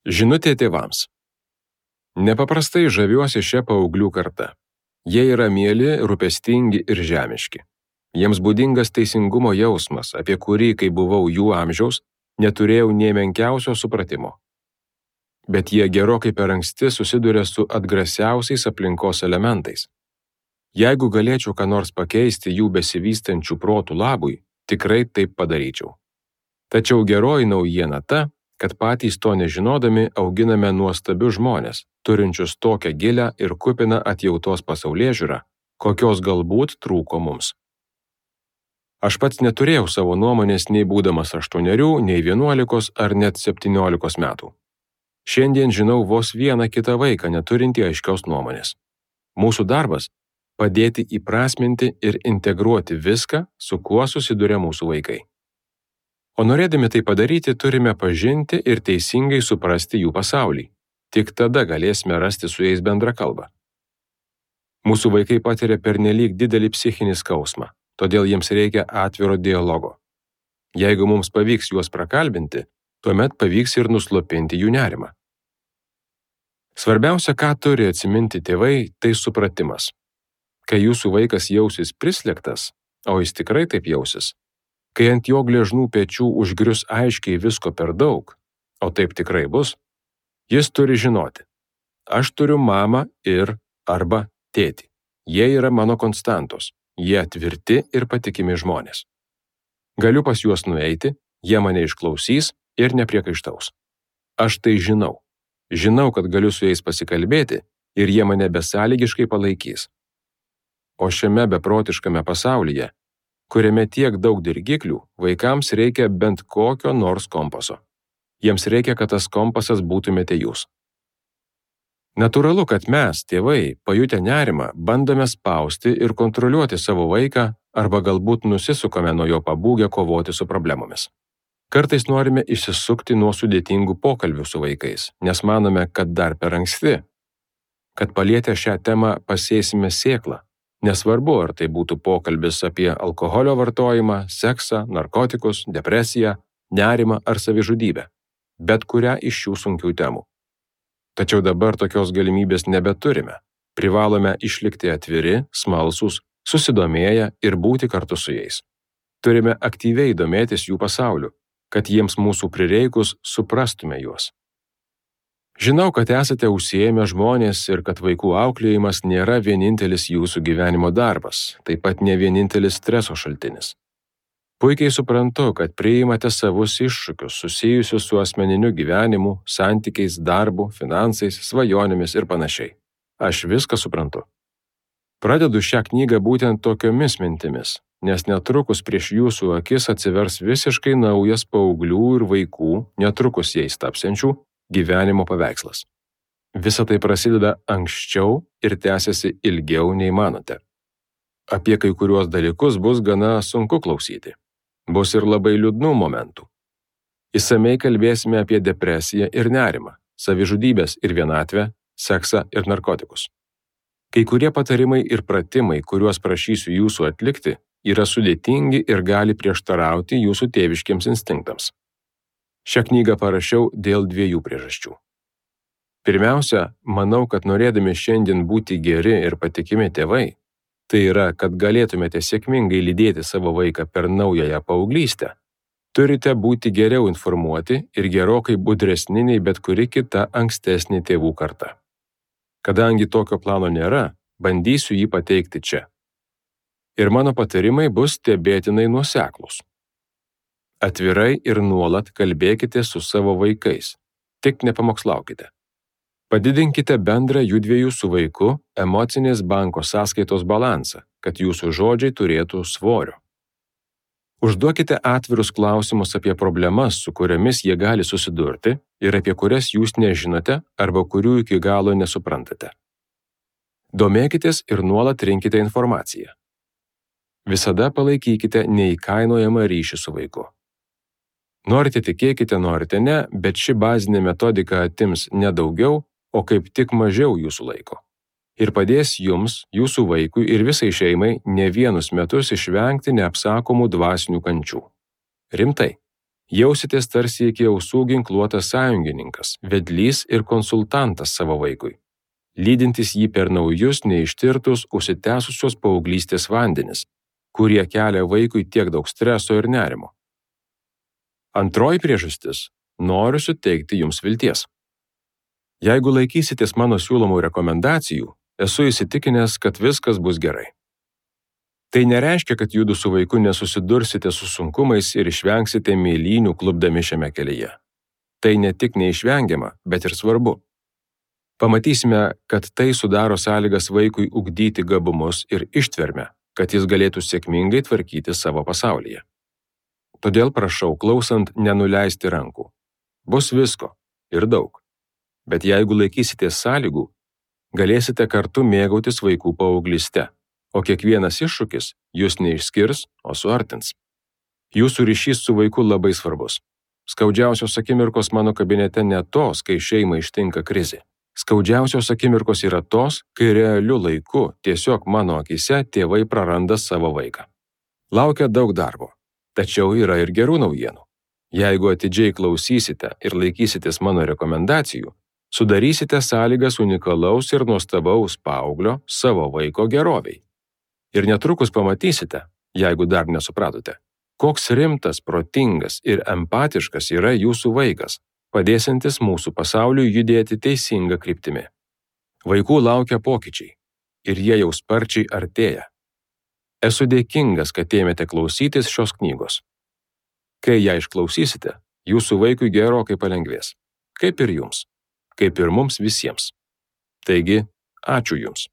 Žinutė tėvams. Nepaprastai žaviuosi šią paauglių kartą. Jie yra mieli, rūpestingi ir žemiški. Jiems būdingas teisingumo jausmas, apie kurį, kai buvau jų amžiaus, neturėjau nė menkiausio supratimo. Bet jie gerokai per anksti susiduria su atgrasiausiais aplinkos elementais. Jeigu galėčiau ką nors pakeisti jų besivystančių protų labui, tikrai taip padaryčiau. Tačiau geroji naujiena ta, kad patys to nežinodami auginame nuostabius žmones, turinčius tokią gilią ir kupiną atjautos pasaulėžiūrą, kokios galbūt trūko mums. Aš pats neturėjau savo nuomonės nei būdamas 8, nei 11 ar net 17 metų. Šiandien žinau vos vieną kitą vaiką neturintį aiškios nuomonės. Mūsų darbas – padėti įprasminti ir integruoti viską, su kuo susiduria mūsų vaikai. O norėdami tai padaryti, turime pažinti ir teisingai suprasti jų pasaulį. Tik tada galėsime rasti su jais bendrą kalbą. Mūsų vaikai patiria pernelyg didelį psichinį skausmą, todėl jiems reikia atviro dialogo. Jeigu mums pavyks juos prakalbinti, tuomet pavyks ir nuslopinti jų nerimą. Svarbiausia, ką turi atsiminti tėvai, tai supratimas. Kai jūsų vaikas jausis prislėgtas, o jis tikrai taip jausis, kai ant jo gležnų pečių užgrius aiškiai visko per daug, o taip tikrai bus, jis turi žinoti, aš turiu mamą ir arba tėtį. Jie yra mano konstantos, jie tvirti ir patikimi žmonės. Galiu pas juos nueiti, jie mane išklausys ir nepriekaištaus. Aš tai žinau. Žinau, kad galiu su jais pasikalbėti ir jie mane besąlygiškai palaikys. O šiame beprotiškame pasaulyje, kuriame tiek daug dirgiklių, vaikams reikia bent kokio nors kompaso. Jiems reikia, kad tas kompasas būtumėte jūs. Natūralu, kad mes, tėvai, pajutę nerimą, bandome spausti ir kontroliuoti savo vaiką arba galbūt nusisukame nuo jo pabūgę kovoti su problemomis. Kartais norime išsisukti nuo sudėtingų pokalbių su vaikais, nes manome, kad dar per anksti, kad palietę šią temą pasėsime sėklą. Nesvarbu, ar tai būtų pokalbis apie alkoholio vartojimą, seksą, narkotikus, depresiją, nerimą ar savižudybę, bet kurią iš šių sunkių temų. Tačiau dabar tokios galimybės nebeturime. Privalome išlikti atviri, smalsūs, susidomėję ir būti kartu su jais. Turime aktyviai domėtis jų pasauliu, kad jiems mūsų prireikus suprastume juos. Žinau, kad esate užsiėmę žmonės ir kad vaikų auklėjimas nėra vienintelis jūsų gyvenimo darbas, taip pat ne vienintelis streso šaltinis. Puikiai suprantu, kad priimate savus iššūkius susijusius su asmeniniu gyvenimu, santykiais, darbu, finansais, svajonėmis ir panašiai. Aš viską suprantu. Pradedu šią knygą būtent tokiomis mintimis, nes netrukus prieš jūsų akis atsivers visiškai naujas paauglių ir vaikų, netrukus jais tapsiančių, gyvenimo paveikslas. Visa tai prasideda anksčiau ir tęsiasi ilgiau nei manote. Apie kai kuriuos dalykus bus gana sunku klausyti. Bus ir labai liūdnų momentų. Išsamiai kalbėsime apie depresiją ir nerimą, savižudybės ir vienatvę, seksą ir narkotikus. Kai kurie patarimai ir pratimai, kuriuos prašysiu jūsų atlikti, yra sudėtingi ir gali prieštarauti jūsų tėviškiams instinktams. Šią knygą parašiau dėl 2 priežasčių. Pirmiausia, manau, kad norėdami šiandien būti geri ir patikimi tėvai, tai yra, kad galėtumėte sėkmingai lydėti savo vaiką per naująją paauglystę, turite būti geriau informuoti ir gerokai budresni nei bet kuri kita ankstesnė tėvų karta. Kadangi tokio plano nėra, bandysiu jį pateikti čia. Ir mano patarimai bus stebėtinai nuoseklūs. Atvirai ir nuolat kalbėkite su savo vaikais, tik nepamokslaukite. Padidinkite bendrą judviejų su vaiku emocinės banko sąskaitos balansą, kad jūsų žodžiai turėtų svorio. Užduokite atvirus klausimus apie problemas, su kuriomis jie gali susidurti ir apie kurias jūs nežinote arba kurių iki galo nesuprantate. Domėkitės ir nuolat rinkite informaciją. Visada palaikykite neįkainojamą ryšį su vaiku. Norite tikėkite, norite ne, bet ši bazinė metodika atims ne daugiau, o kaip tik mažiau jūsų laiko. Ir padės jums, jūsų vaikui ir visai šeimai ne vienus metus išvengti neapsakomų dvasinių kančių. Rimtai. Jausitės tarsi iki ausų ginkluotas sąjungininkas, vedlys ir konsultantas savo vaikui, lydintis jį per naujus, neištirtus, užsitęsusios paauglystės vandenis, kurie kelia vaikui tiek daug streso ir nerimo. Antroji priežastis – noriu suteikti jums vilties. Jeigu laikysitės mano siūlomų rekomendacijų, esu įsitikinęs, kad viskas bus gerai. Tai nereiškia, kad judu su vaiku nesusidursite su sunkumais ir išvengsite mėlynių klupdami šiame kelyje. Tai ne tik neišvengiama, bet ir svarbu. Pamatysime, kad tai sudaro sąlygas vaikui ugdyti gabumus ir ištvermę, kad jis galėtų sėkmingai tvarkyti savo pasaulyje. Todėl prašau, klausant, nenuleisti rankų. Bus visko ir daug. Bet jeigu laikysitės sąlygų, galėsite kartu mėgautis vaikų paauglystę, o kiekvienas iššūkis jūs neišskirs, o suartins. Jūsų ryšys su vaiku labai svarbus. Skaudžiausios akimirkos mano kabinete ne tos, kai šeimai ištinka krizė. Skaudžiausios akimirkos yra tos, kai realiu laiku tiesiog mano akyse tėvai praranda savo vaiką. Laukia daug darbo, tačiau yra ir gerų naujienų. Jeigu atidžiai klausysite ir laikysitės mano rekomendacijų, sudarysite sąlygas unikalaus ir nuostabaus paauglio savo vaiko geroviai. Ir netrukus pamatysite, jeigu dar nesupratote, koks rimtas, protingas ir empatiškas yra jūsų vaikas, padėsiantis mūsų pasauliui judėti teisinga kryptimi. Vaikų laukia pokyčiai ir jie jau sparčiai artėja. Esu dėkingas, kad ėmėte klausytis šios knygos. Kai ją išklausysite, jūsų vaikui gerokai palengvės, kaip ir jums, kaip ir mums visiems. Taigi, ačiū jums.